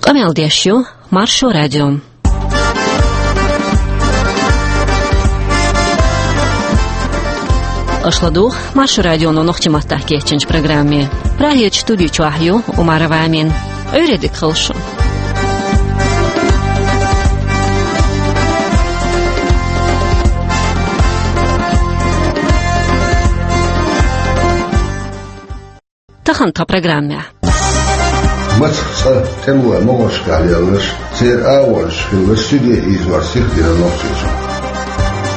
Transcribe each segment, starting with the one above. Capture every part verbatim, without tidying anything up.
Къамел деш ю Маршо радио. Аша ладугӀу Маршо радионо нохчийн маттахь кечйинчу программе. Прагерчу студи чохь ю Умарова Амина. Ӏуьйре дика хуьлда шун. Тахана тхан программехь. Мацах цкъа тӀемалойн могӀаршкахь лелларш, церан агӀонаш хиларш суьде ийзор сиха дина Нохчийчохь.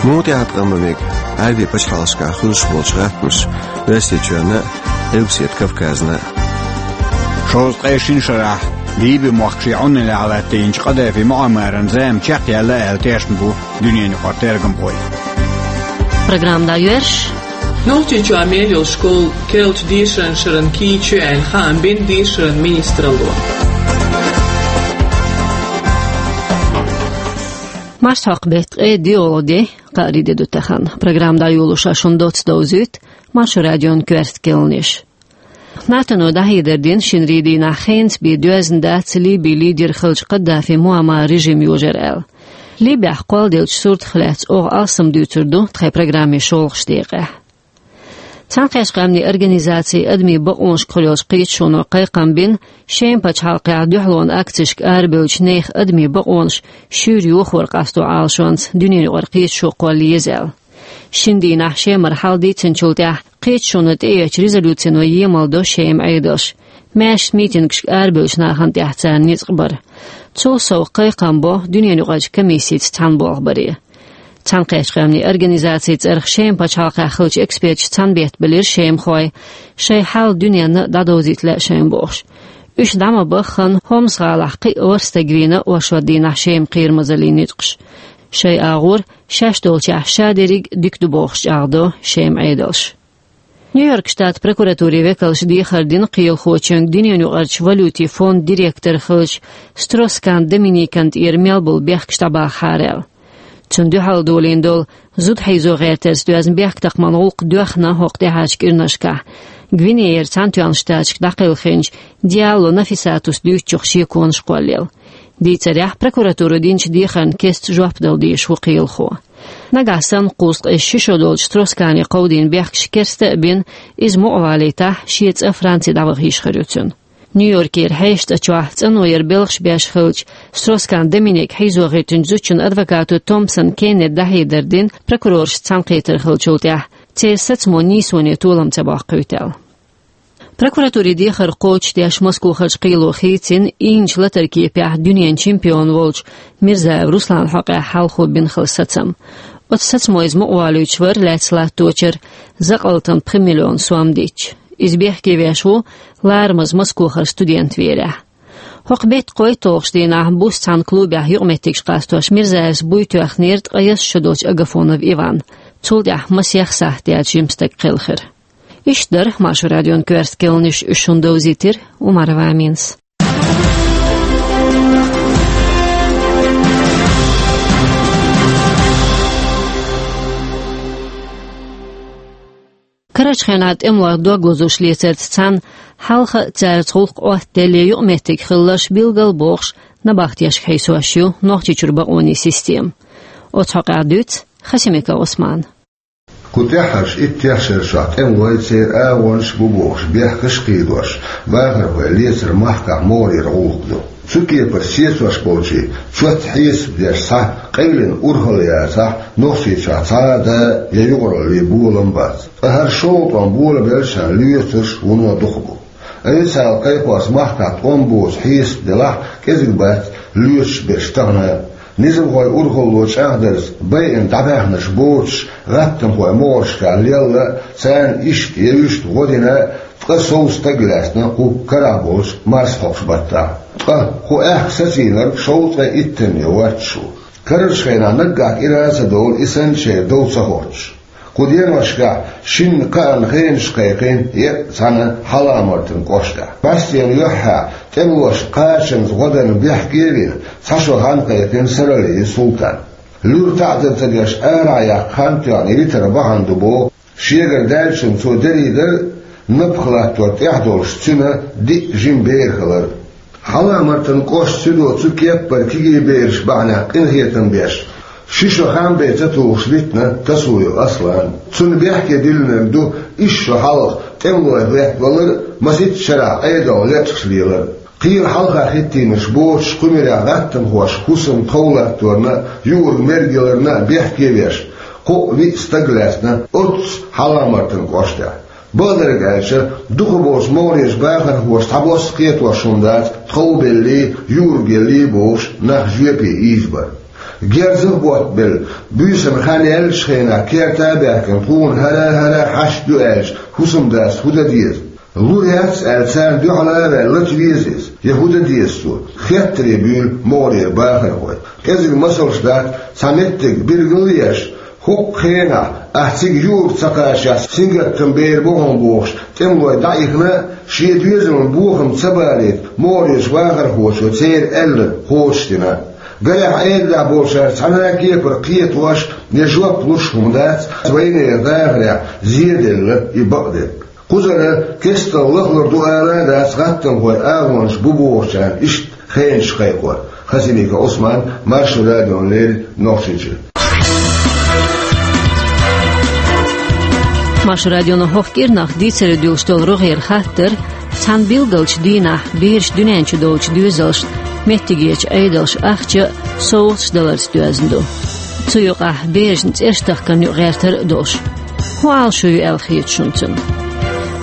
Муха тӀехь тӀом бан мега Ӏаьрбийн пачхьалкхашкахь хуьлуш болчу гӀаттамаша Оьрсийчоьнна а, Къилбаседа Кавказна а? Шовзткъе шина шарахь Ливи-мохк шен Ӏуналлехь латтийначу Къадафи Муаммаран зама чекхъяьлла аьлла тешна бу дуьненан юкъара тергамхой. Программа дӀайоьрзуш. Нохчийчохь мел йолу школа керлачу дешаран шарна кийча ю аьлла хаам бина дешаран министралло. Марсхьокху беттан ткъе доьалгӀа де, кхаарин де ду тахана. Программа дӀайолош шуна доцца довзуьйту Маршо радион коьрта керланаш. НАТОно дӀахьедар дина шинарин дийнахь хенца бен доьзна дац Ливин лидер хиллачу Къадафи Муаммаран режим йожар аьлла. Ливехь кхолладеллачу суртах лаьцна оха алсам дуьйцур ду тхайн программин шолгӀачу декъехь. Цхьаьнакхеттачу Къаьмнийн Организацин адамийн бакъонашкахула йолчу кхеташоно кхайкхам бина Шеман пачхьалкхехь дуьхьалонан акцешка арабевллачу нехан адамийн бакъонаш шуьйра йохор къасто Ӏалашонца дуьненан юкъара кхеташо кхолла еза аьлла. Шина дийнахь Шемара хьал дийцинчул тӀаьхьа кхеташоно тӀеэцначу резолюцино емал до Шеман Ӏедалш, маьршачу митингашка арабевллачу нахана тӀехь царна ницкъ бар. Цул сов кхайкхам бо дуьненан юкъарчу комиссица цхьаьна болх баре. Цхьаьнакхеттачу Къаьмнийн Организацин цӀарах Шеман пачхьалкхехь хиллачу эксперташа цхьаьна беттабелира шемахой, шайн хьал дуьненна дӀадовзийта лаьа шайна бохуш. Уьш дӀа ма баххана, Хомс-гӀалахь кхин а ворхӀ стаг вийна оршот дийнахь Шеман кхерамазаллин ницкъаша. Шайн агӀор шаьш долчехь ша дерриг а дика ду бохуш чӀагӀдо Шеман Ӏедалш. Нью-Йорк штатан прокуратурин векалша дехар дина кхелахочуьнга дуьненан юкъарчу валютин фондан директор хиллачу Строс-Кан Доминикана тӀера мел болу бехкаш дӀабахахьара аьлла. Цунна дуьхьал долийна долу зуда хьийзо гӀертарца доьзна бехктакхаман гӀуллакх доьхна хӀокху тӀаьхьарчу кӀирнашкахь, Гвинеяра Цхьаьнатоьхначу Штаташка дӀакхелхинчу Диалло Нафисатус дуьйцучух шен конаш кхоллаелла. Дийцарехь, прокуратуро динчу дехарна кестта жоп дала дезаш ву кхелахо. Нагахь санна кхузткъе ши шо долчу Строс-Кане кховдийна бехкаш керста а бина, иза мукъа валийтахь, шен цӀа Франци дӀаваха йиш хир ю цуьнан. Нью-Йоркера хьешан цӀа чохь цӀано яра белхаш беш хиллачу Строс-Кан Доминика хьийзо гӀиртинчу зудчун адвокато Томпсон Кеннета дӀахьедар дина прокурорашца цхьаьнакхетар хиллачул тӀаьхьа, церан сацамо нийсоне толам ца боккхуьйту аьлла. Прокуратурин дехар кхочушдеш Москохарчу кхело хийцина, ийначу латаран кепехь дуьненан чемпион волчу Мирзаев Русланан хьокъехь хьалхо бина хилла сацам. Оцу сацамо иза мукъаволуьйтуш вара лаьцна латточуьра, закъалтана пхи миллион сом дитча. Иза бехке веш ву, ларамаза Москохара студент верехь. ХӀокху беттан кхойтталгӀачу дийнахь буса цхьана клубехь юкъаметтигаш къастош Мирзаевс буй тоьхнера ткъе ялх шо долчу Агафонов Иванна. Цул тӀаьхьа масех сахьт яьлча жима стаг кхелхира. Иштта дара Маршо радион коьрта керланаш, уьш шуна довзийтира Умарова Аминас. Карарчу хенахь тӀемалойх дог лозуш лецарца цхьаьна хьалха а цаьрца гӀуллакх Ӏоттаделле юкъаметтиг хиларш билгал бохуш, набахтешка хьийсош ю Нохчийчуьра бакъонийн система. Оцу хьокъехь дуьйцу Хасимиков Ӏусмана. Кху тӀаьххьарчу иттех шарашкахь тӀемалой, церан агӀонаш бу бохуш бехкаш а кхийдош, бахархой лецар махкахь могӀарера гӀуллакх ду. Цу кепара сецош болчийн чот хьесап деш цхьа къайлина урхалла яцахь, Нохчийчохь цхьа а да я юкъараллин болам бац. Ткъа хӀара шолгӀа тӀом болабеллачарна лоьцурш вуно дукха бу. Официалан кхайкхорца махкахь тӀом боцу хьесап делахь а, кӀезиг бац лоьцуш берш тахана а. Низамхойн урхалло чӀагӀдарца байина дӀабаьхнарш боцуш гӀаттамхой могӀаршкахь лелла а, царна иштта я вуьшта гӀо дина а ткъа сов стаг лаьцна кху карахь болчу марсхьокху баттахь. Ткъа кху аьхка сацийнарг шовзткъе иттанне воццуш ву. Карарчу хенахь наггахь кӀира а ца довла, и санна шайн дов ца хоттуш. Кху деношкахь шинна кхаанна хенаш кхайкхина еккъа цхьана хьаламартан кӀоштахь. БӀаьстенан юьххьехь тӀемалошна кхачанца гӀо дарна бехке а вина, цхьа шо хан кхайкхина Саралиев Султана. Луьра таӀзар ца деш арахь яккха хан тоьхна йитар бахьана ду боху, шегара даьллачунна цо дерригара а напха латтор тӀехь долуш цуьнан диъ жима бер хилар. Хьалха-Мартан кӀоштан суьдо цу кеппара кегий бераш бахьанехь къинхетам беш, ши шо хам бен ца тухуш витина Тасуев Аслан. Цунна бехке диллинарг ду исс шо хьалха тӀемалой хӀоьттина валар а, масийтта шарахь Ӏедалх лечкъаш лелар а. Кхин хьалха хӀиттийнарш боцуш, кху муьрехь гӀаттамхоша хӀусаман тхов латторна а, юург-мерг яларна а бехке а веш, кхоъ-виъ стаг лаьцна оццу Хьалха-Мартан кӀоштехь. Бакъдерг аьлча, дукхахболчу могӀарерчу бахархоша цхьабосса кхетош хӀума дац тхов беллий, юург еллий бохуш нах жоьпе ийзабар. Герзах а боттабелла, буьйсанна хан яьллачу хенахь керта а баьхкина, тхуна хӀара-хӀара хьашт ду аьлча, хӀусамдас хӀун дан деза? Лур яц аьлла, царна дуьхьал а ваьлла, лата веза иза, я хӀун дан деза цо? Хеттаре буьйлу могӀарера бахархой. КӀезиг масалш дац, цхьа меттиг билгал а еш, хӀокху хенахь ахь цига юург ца кхаччалц сингаттам бер бу хьуна бохуш, тӀемалой дӀаихна а, шен доьзална бохам ца балийта, могӀарерчу бахархочо церан аьлларг кхочушдина. Гарехь, Ӏедалехь болчара цхьана а кепара кхетош я жоп луш хӀума дац вайнера дахарехь зеделла и бакъдерг. Кхузара кестта лахлур ду ала а дац, гӀаттамхойн агӀонаш бу бохучарна иштта хенаш кхайкхор. Хасимиков Ӏусман, Маршо радиона леррина Нохчийчуьра. Маршо радиона хӀокху кӀирнах дийцаре дуьллуш долу рогӀера хаттар: цхьана билгалчу дийнахь бераш дуьнен чу долчу доьзалшна меттигерчу Ӏедалша ахча а, совгӀаташ а даларца доьзна ду. Цу юкъахь берашна цӀераш тахкарна юкъагӀертар а долуш. ХӀун Ӏалашо ю аьлла хета шуна цунна?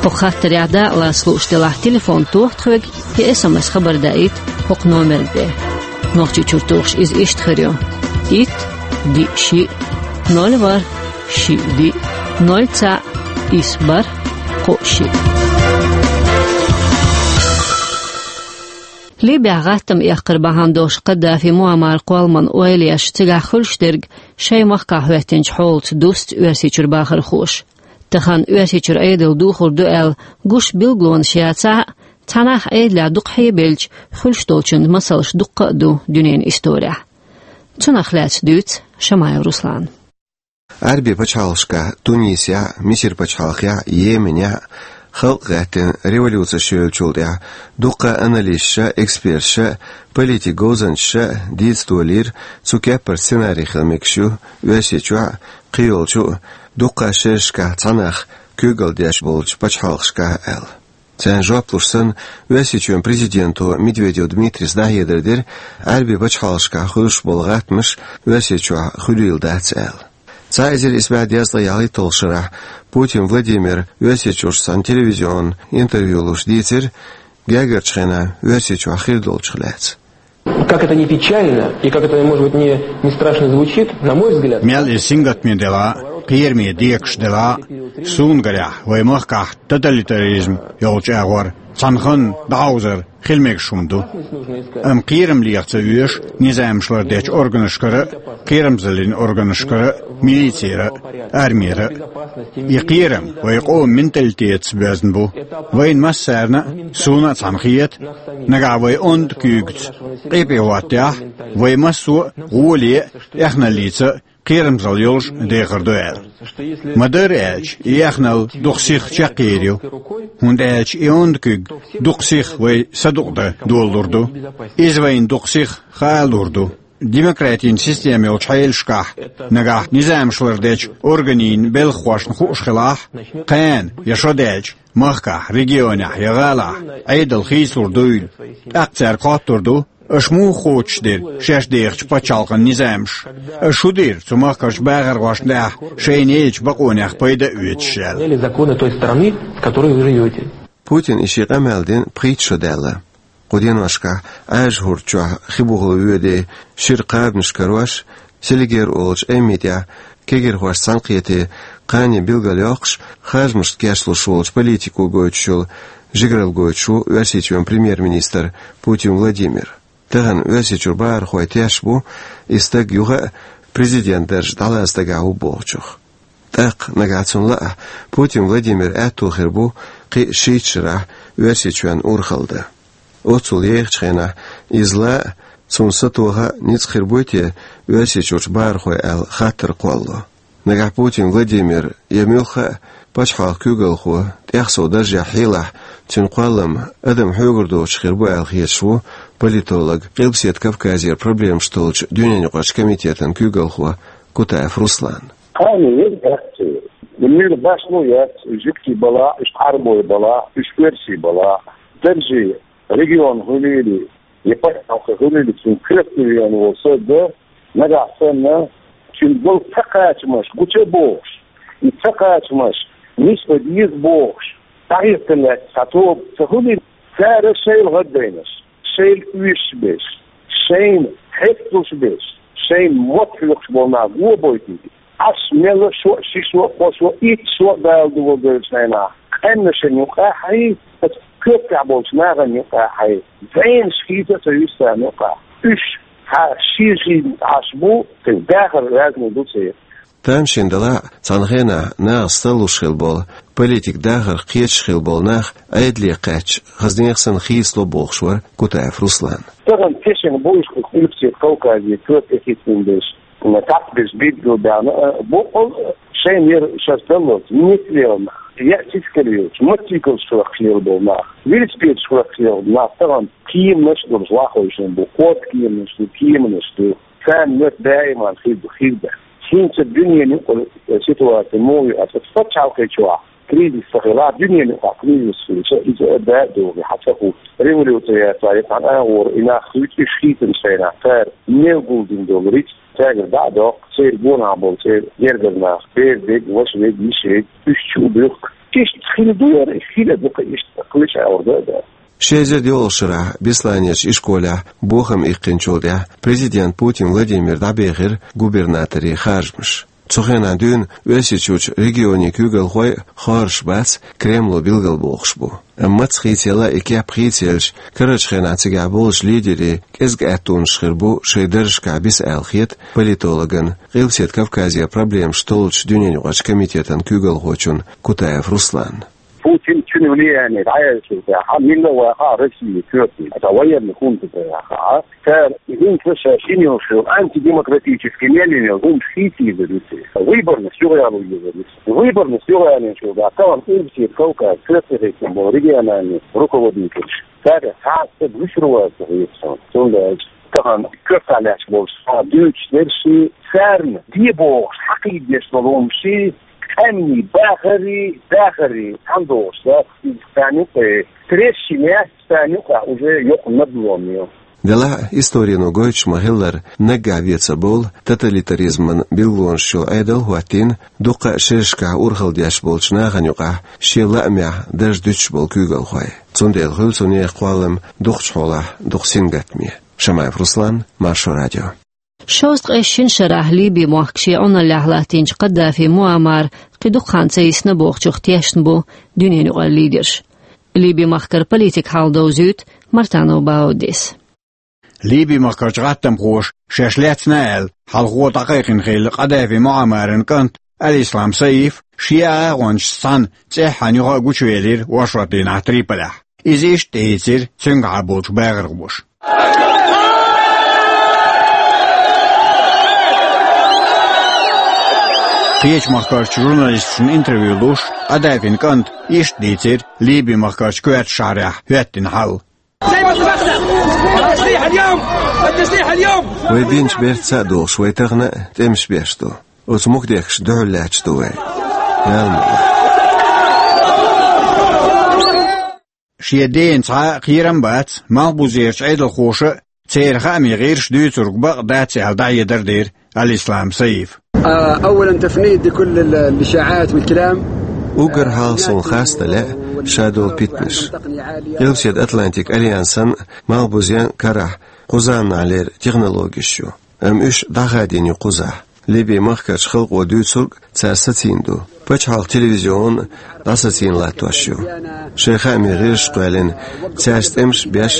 ХӀокху хаттарехь дакъалаца лууш делахь, телефон тоха тхоьга, я эс эм эс хабар даийта хӀокху номерна тӀе. Нохчийчуьра тухуш иза иштта хир ю: итт, диъ, шиъ, ноль, ворхӀ, шиъ, диъ, ноль, цхьаъ, исс, бархӀ, кхоъ, шиъ. Ливехь гӀаттам эккхар бахьана долуш Каддафи Муаммар кхолламан ойла еш, цигахь хуьлуш дерг шайн махкахь хӀоьттинчу хьолаца дуьсу Оьрсийчуьра бахархоша. Тахана Оьрсийчуьра Ӏедал духур ду аьлла гуш билгалонаш яцахь а, цхьанхьа Ӏедалехь дукха хьебелча, хуьлуш долчун масалш дуккха а ду дуьненан исторехь. Цунах лаьцна дуьйцу Шамаев Руслана. Ӏаьрбийн пачхьалкхашкахь, Тунисехь а, Мисир пачхьалкхехь а, Йеменехь а халкъ гӀаьттина революцеш йолчул тӀаьхьа дуккха а аналисташа а, эксперташа а, политикан говзанчаша а дийца долийра, цу кеппара сценарий хила мегаш ю Оьрсийчохь а, кхийолчу а дуккха а шерашкахь цхьа нах куьйгалла деш болчу пачхьалкхашкахь аьлла. Царна жоп луш санна, Оьрсийчоьнан президенто Медведев Дмитрийс дӀахьедар дира, Ӏаьрбийн пачхьалкхашкахь хуьлуш болу гӀаттамаш Оьрсийчохь хуьлийла дац аьлла. Цхьа эзар исс бӀе дезткъе ялхитталгӀачу шарахь Путин Владимира Оьрсийчуьрчу цхьана телевизионан интервью луш дийцира гергарчу хенахь Оьрсийчохь хир долчух лаьцна. Как это не печально и как это, может быть, не, не страшно звучит, на мой взгляд, Мел иза сингаттаме делахь а, кхераме декаш делахь а, суна гарехь, вайн махкахь тоталитаризм йолчу агӀор цхьана ханна дӀахьовзар хила мегаш хӀума ду. Амма кхерам леха ца оьшу низамаш лардечу органашкара а, кхерамзаллин органашкара а, милицера а, армера а. И кхерам вайн къоман менталитетаца боьзна бу. Вайна массарна а, суна а цхьаьна хета, нагахь вай онда куьйгаца къепе хӀоттахь, вай массо а гӀоле а, эхналлица а кхерамзалла йолуш дехар ду аьлла. Ма-дарра аьлча, и эхналла дукха сиха чекхъер ю, хӀунда аьлча и онда куьг дукха сиха вай садукъадан долалур ду. Иза вайна дукха сиха хаалур ду. Демократин система йолчу хьелашкахь, нагахь низамаш лардечу органийн белхахошна хууш хилахь, кхана я шо даьлча, махкахь, регионехь я гӀалахь Ӏедал хийцалур дуйла, тӀаккха цаьрга хоттур ду, аша муха кхочушдира шаьш дехачу пачхьалкхан низамаш? Аша хӀун дира цу махкарчу бахархошна тӀехь шайна ечу бакъонех пайда а оьцуш аьлла? Или законы той страны, в которой вы живёте? Путина и шен къамел дина пхийтта шо даьлла. Кху деношкахь Ӏаьржа хӀорда чохь хи бухало воьдий шира кхабанаш карош, Селигер олучу Ӏеммин тӀехь кегирхошца цхьаьнакхетий кхане билгалйоккхуш, харжамашна кечлуш волчу политико гойтуш йолу жигаралла гойтуш ву Оьрсийчоьнан премьер-министр Путин Владимир. Тахана Оьрсийчуьра бахархой тешаш бу, и стаг юха а президент дарж дӀалаца дагахь ву бохучух. ТӀаккха, нагахь цунна лаахь, Путин Владимир аьтто хир бу кхин а шийтта шарахь Оьрсийчоьнна урхалла дан. Оццул ехачу хенахь иза лаа а, цунна сатоха а ницкъ хир буй те Оьрсийчуьрчу бахархой аьлла хаттар кхоллало? Нагахь Путин Владимир я муьлхха а пачхьалкхан куьйгалхо тӀех сов даржехь хьелахь, цуьнан кхоллам адам хьоьгара доцуш хир бу аьлла хеташ ву политолог, Къилбаседа Кавказера проблемаш толлучу дуьненаюкъарчу комитетан куьйгалхо Кутаев Руслан. Кхана яц, муьлха башхало яц, жуьгтий балахь, уьш Ӏарбой балахь, уьш оьрсий балахь, даржий регион хуьлийла, я пачхьалкх хуьлийла, цуьнан коьрте веана волу саг, нагахь санна, цуьнан болу ца кхачамаш гуча а бохуш, и ца кхачамаш нисбан деза бохуш, дӀахӀиттина лаьцна цхьа тоба ца хуьлийла, цара шайла гӀаддайнарш, шайла оьшуш берш, шайна хьесталуш берш, шайна мотт хьоькхуш болу нах го а бойтийла. Ӏаш мелла шо а, шишо а, кхошо а, итт шо а Дала дугӀу девллачу хенахь, къаьмнашна юкъахь а, аса коьртехь болчу нахана юкъахь а, зӀенаш хийца а ца юьсу царна юкъахь. Уьш цхьа шен-шен Ӏаш бу, цуьнан дахар разный ду церан. Тамашийна делахь а, цхьана хенахь нахаца таллуш хилла болу, политикан дахарх кхеташ хилла болу нах Ӏедале кхаьчча, хаза нехан санна хийцало бохуш вара Кутаев Руслан. Тахана тешна бу уьш Къилбаседа Кавказе коьрта тӀехӀиттина берш, цхьацца берш билгалбаьхна, а, боккъал а шайна яра шаьш даллалц, ницкъ лелла нах, яа цицкалла йолчу, мотоциклаш хӀоьттина лелла болу нах, велосипедаш хӀоьттина лелла болу нах тахана кеманаш а долуш ваххойшина бу, кхо кеманаш ду, кеманаш ду. Царна моьтту даиман хир ду, хир дац. ХӀинца дуьненан юкъара ситуаци муха ю аьлча, пачхьалкхе чохь кризис ца хилахь, дуьненан юкъахь кризис хилча, иза а да а догӀий хьан ца хӀутту. Революци яцахь, я цхьана агӀор и нах хуьйцу уьш хийцинчу хенахь, цара мел гулдина долу рицкъ цаьргара дӀа а доккху, церан гонахь болу церан гергара нах, бер дерг, ваша верг, йиша верг, уьш чу а буьхку. Иштта хила ду яра, хила а ду-кх иштта, кхечу агӀор да а да. Ши эзар доьалгӀачу шарахь Бесланерчу ишколехь бохам иккхинчул тӀаьхьа президент Путин Владимир дӀабехира губернаторийн харжамаш. Цу хенахь дуьйна Оьрсийчуьрчу регионийн куьйгалхой а хоржуш бац, Кремло билгалбохуш бу. Амма маца хийцаелла и кеп хийцаелча, карарчу хенахь цигахь болчу лидерийн кӀезиг аьттонаш хир бу шайн даржашкахь биса аьлла хета политологна, Къилбаседа Кавказера проблемаш толлучу дуьненаюкъарчу комитетан куьйгалхочунна Кутаев Русланна. Путин, цуьнан влияние дӀаяьллачул тӀаьхьа, милла а вахахь Россия коьртехь, аса военный хунта тӀе вахахь, цара хӀинца ша шина йолуш йолу антидемократический мел йина йолу хӀумаш хийца йийр ю церан. Выборность юхаяло йийр ю церан. Выборность юхаялийначул тӀаьхьа тахана Къилбаседа Кавказ коьртехь хӀиттина болу региональный руководителаш, цаьргахь цхьа а стаг вуьшур вац ца хета суна. Цундела аьлча тахана коьртехь лаьтташ болчу цхьа дуьйцуш дерш, царна де бохуш хьакхийдеш долу хӀумаш, къаьмнийн бахарий, дахарий цхьаьна догӀуш дац, иза царна юкъе трещина яц, царна юкъахь уже йоккха надлом ю. Делахь а, историно гойтуш ма-хиллара, наггахь вен ца бовлу тоталитаризман билгалонаш йолу Ӏедал а хӀоттийна дуккха а шерашкахь урхалла деш болчу нахана юкъахь шен лаамехь дарж дуьтуш болу куьйгалхой. Цундела хуьлу цу нехан кхоллам дукхачу хьолахь дукха сингаттаме. Шамаев Руслан, Маршо радио. Шовзткъе шина шарахь Ливи-мохк шен Ӏуналлехь латтийначу Каддафи Муаммара кхин дукха хан ца йисна бохучух тешна бу дуьненан юкъара лидерш. Ливи-махкара политикан хьал довзуьйту Мартанов Баудис. Ливи-махкарчу гӀаттамхоша шаьш лаьцна аьлла, хьалхо дӀакхайкхина хилла Каддафи Муаммаран кӀант Аль-Ислам Саиф шен агӀончашца цхьаьна цӀеххьана юха а гучувелира оршот дийнахь Триполехь. Иза иштта тӀеийцира цуьнгахьа болчу бахархоша. Кхечу махкарчу журналисташна интервью луш, Каддафин кӀанта иштта дийцира Ливи-махкарчу коьртачу шахьарехь хӀоьттина хьал. Вай бинчу бертаца а догӀуш, вай тахана а тӀемаш беш ду. Оцу мукдехкашна дуьхьал лаьтташ ду вай. Ял ма вай. Шен дена цхьа а кхерам бац, малхбузерчу Ӏедалхоша а, церан хаамийн гӀирсаша дуьйцург бакъ дац аьлла дӀахьедар дира Аль-Ислам Саифа. آه، أولاً تفنيد لكل ال-، الإشاعات والكلام. Уггар хьалха суна харцдале а ша долу питанаш. Къилбаседа Атлантик Альянсан а, малхбузен а карахь кхузанналера технологеш ю. Амма уьш дӀахадийна ю кхузахь. Ливи-махкарчу халкъо дуьйцург цара сацийна ду. Пачхьалкхан телевизион а дӀасацийна латтош ю. Шайн хаамийн гӀирсаш кхоьллина, цаьрца тӀемаш а беш,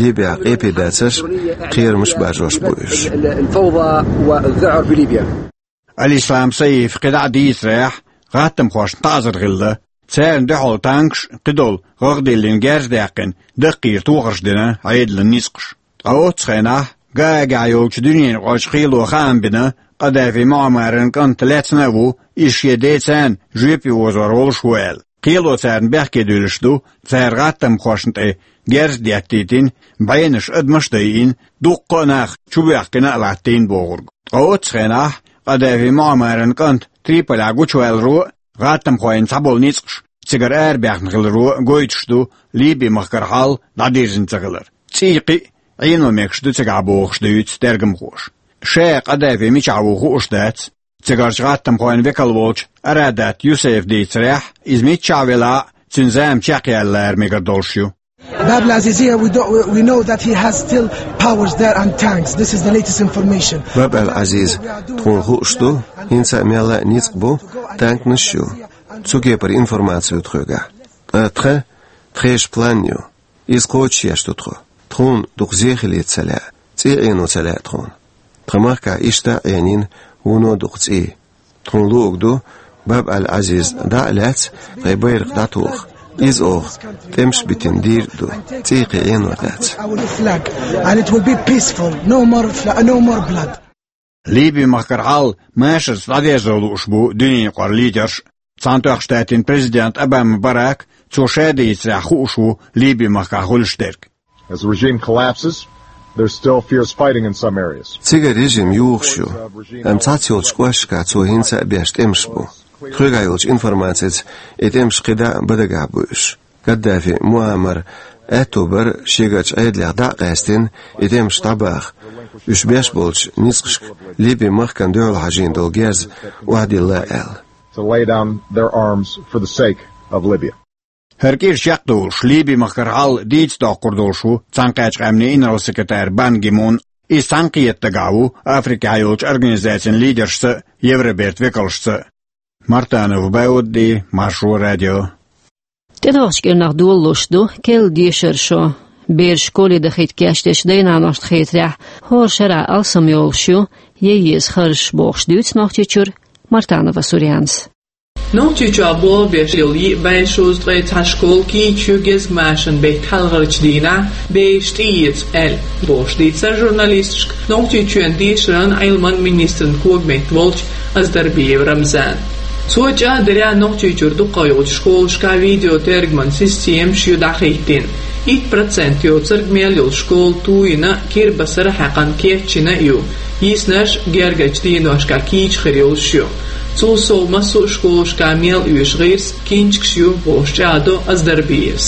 Ливехь къепе дацарш а, кхерамаш а баржош бу уьш. الفوضى والذعر في ليبيا. Аль-Ислам Саифа кхидӀа а дийцарехь, гӀаттамхошна таӀзар хилла, царна дуьхьал танкаш а, кхидолу гӀагӀ диллина герз а даьккхина, даккхийра тохарш дина Ӏедалан ницкъаша. Ткъа оццу хенахь Гаагехь йолчу дуьненан юкъарчу кхело хаам бина, Къадафи Муаммаран кӀант лаьцна а ву, иза шен ден царна жоьпе озор волуш ву аьлла. Кхело царна бехке дуьллуш ду, цара гӀаттамхошна тӀе герз деттийтина, бӀенаш, адамаш а дайина, дуккха а нах чубоьхкина а латтийна бохург. Ткъа оццу хенахь Къадафи Муаммаран кӀант Триполехь гучуваьлларо а, гӀаттамхойн цхьаболу ницкъаш цигара арабаьхна хиларо а гойтуш ду Ливи-махкара хьал дӀадирзина ца хилар. ЦӀий кхин а Ӏено мегаш ду цигахь бохуш дуьйцу тергамхоша. Ша Къадафи мичахь ву хууш дац. Цигарчу гӀаттамхойн векал волчу Арадат Юсефа дийцарехь, иза миччахь велахь а, цуьнан зама чекхъяьлла лара мегар долуш ю. Bab al-Aziz, we don't, we know that he has still powers there and tanks. This is the latest information. Баб ал-Азиз, тхуна хууш ду, хӀинца а мелла а ницкъ бу, танканаш а ю. Цу кепара информаци ю тхоьгахь. Ткъа тхан, тхешан план ю. Иза кхочушъеш ду тхо. Тхуна дукха зе хилийта ца лаьа, цӀий Ӏено ца лаьа тхуна. Тхан махкахь иштта а Ӏенийна вуно дукха цӀий. Тхуна луург ду, Баб ал-Азиз дӀа а лаьцна, тхайн байракх дӀатоха. Иза оха тӀемаш битина дийр а ду, цӀий кхин Ӏено дац. Our flag, and it will be peaceful. No more fla-, no more blood. Ливи-махкара хьал машарца дӀадерзо лууш бу дуьненаюкъара лидерш. Цхьаьнатоьхна Штатийн президент Обама Барак, цо ша дийцарехь, хууш ву Ливи-махкахь хуьлуш дерг. As the regime collapses, there's still fierce fighting in some areas. Цигара режим юхуш ю, амма цхьацца йолчу кӀошташкахь цо хӀинца а беш тӀемаш бу. Тхоьгахь йолчу информацица и тӀемаш кхидӀа а бан дагахь бу уьш. Каддафи Муаммар аьтто бара шегарчу Ӏедалех дӀа а къаьстина, и тӀемаш дӀабаха, уьш беш болчу ницкъашка Ливи-махкана дуьхьал хьажийна долу герз охьадилла аьлла. To lay down their arms for the sake of Libya. ХӀара кӀира чекхдолуш, Ливи-махкара хьал дийца доккхур долуш ву Цхьаьнакхеттачу Къаьмнийн инарла-секретарь Бан Ги Мун. Иза цхьаьнакхета дагахь ву Африкехь йолчу организацийн лидершца а, Евробертан векалшца а. Мартанов Баудди, Маршо радио. ТӀедогӀучу кӀирнах долалуш ду керла дешаран шо. Бераш школе дахийта кечдечу дай-наношна хетарехь, хӀора шарахь алсам йолуш ю, ян еза харжаш, бохуш дуьйцу Нохчийчуьра Мартанова Сурьянас. Нохчийчохь болабеш йолу йиъ бӀе шовзткъе цхьа школа кийча ю гезгмашин беттан хьалхарчу дийнахь, бераш тӀеэца аьлла, бохуш дийцира журналисташка Нохчийчоьнан дешаран, Ӏилман министран когаметта волчу Аздарбиев Рамзана. Цо чӀагӀдарехь, Нохчийчуьра дукхах йолчу школашкахь видеотергаман системаш ю дӀахӀиттийна. Итт процент йоцург мел йолу школа туйина, кирбасара хьаькхна, кечйина а ю. Йиснарш гергарчу деношкахь кийча хир йолуш ю. Цул сов массо а школашкахь мел оьшу гӀирс, кинчкаш ю, бохуш чӀагӀдо Аздарбиевс.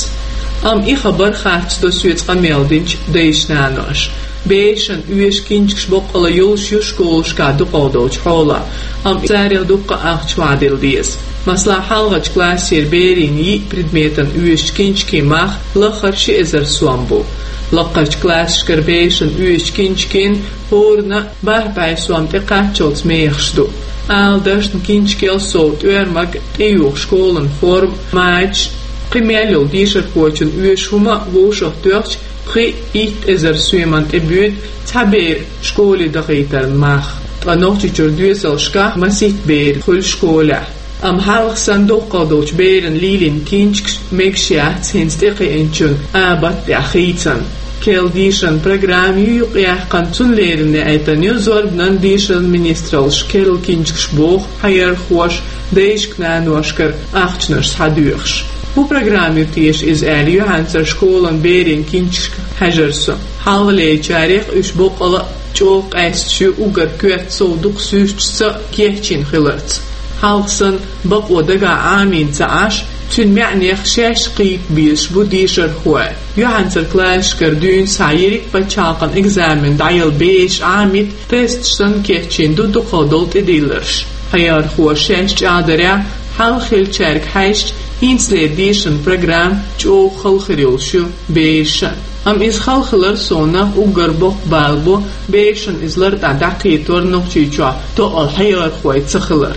Амма и хабар харц до соьца къамел динчу дайша-наноша. Берашна оьшу кинчкаш боккъала йолуш ю школашкахь дукхах долчу хьолах, амма царах дуккха а ахча вахьадилла деза. Масала, хьалхарчу классера берийн йиъ предметан оьшучу кинчкийн мах лаххара ши эзар сом бу. Лакхарчу классашкара берашна оьшучу кинчкийн хӀоранна бархӀ бӀе сом тӀекхаччалц мехаш ду. Ала дашна, кинчкел сов тӀоьрмаг, тӀеюха школан форма, мачаш, кхин мел йолу дешархочун оьшу хӀума вовшахтоьхча, пхи-итт эзар соьман тӀе буьйцу цхьа бер школе дахийтаран мах. Ткъа Нохчийчуьра доьзалшкахь масийтта бер хуьлу школехь. Амма хьалха санна доккхал долчу берана лелийна кинчкаш мегаш яц хӀинца тӀекхиъначун абат тӀехь хийцан. Керла дешаран программа ю юкъаяьккхина, цунна леррина яийтина ю зорбанан, дешаран министраллаш керла кинчкаш боху хьаярхоша дайшка-наношкара ахчанаш схьадоьхуш. ХӀун программа ю теша иза аьлла, юьхьанцара школан берийн кинчкашка хьаьжира со. Хьалхалерчарех уьш боккъала а чӀогӀа къаьсташ ю, уггар коьрта сов дукха суьрташца а кечйина хиларца. Хьалха санна бакъо дагахь Ӏамийна ца Ӏаш, цуьнан маьӀнех шаьш кхета безаш бу дешархой. Юьхьанцара классашкара дуьйна схьа йиъ пачхьалкхан экзамен дӀаяла бераш Ӏамийта, тесташ санна кечйина ду дукхах долу тӀедилларш. Хьаярхоша шаьш чӀагӀдарехь, хьалха хиллачаьрга хьаьжча, хӀинцалера дешаран программа чӀогӀа хала хир йолуш ю берашна. Амма иза хала хилар совнаха уггар боккха бала бу, берашна иза лартӀехь дӀакхетор Нохчийчохь тоъал хьаярхой ца хилар.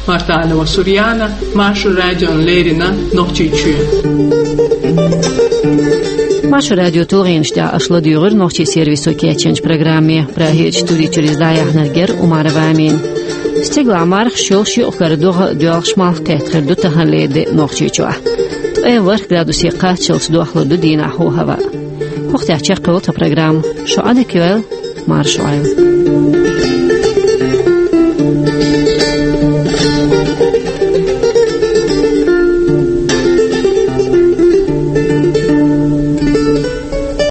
Мартанова Сурьяна, Маршо радиона леррина, Нохчийчоь. Маршо радион тулгӀенаш тӀехь аша ладуьйгӀира нохчийн сервисо кечйинчу программе. Прагерчу студи чуьра иза дӀаяьхьнарг яра Умарова Амина. Стигалахь мархаш йолуш, юкъ-кара догӀа а доьлхуш, малх кхетта хир ду таханлера де Нохчийчохь. Ткъе ворхӀ градусе кхаччалц дохлур ду дийнахь хӀаваъ. ХӀокху тӀехь чекхйолу тхан программа. Шу Ӏадика йойла, марша Ӏойла.